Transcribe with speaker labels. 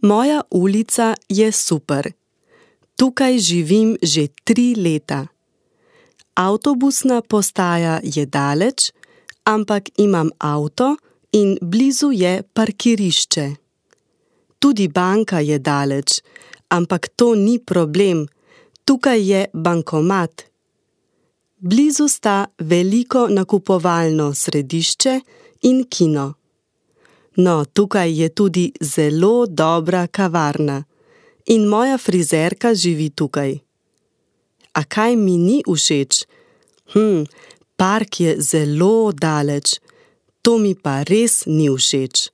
Speaker 1: Moja ulica je super. Tukaj živim že 3 leta. Avtobusna postaja je daleč, ampak imam avto in blizu je parkirišče. Tudi banka je daleč, ampak to ni problem. Tukaj je bankomat. Blizu sta veliko nakupovalno središče in kino. No, tukaj je tudi zelo dobra kavarna. In moja frizerka živi tukaj. A kaj mi ni všeč? Park je zelo daleč. To mi pa res ni všeč.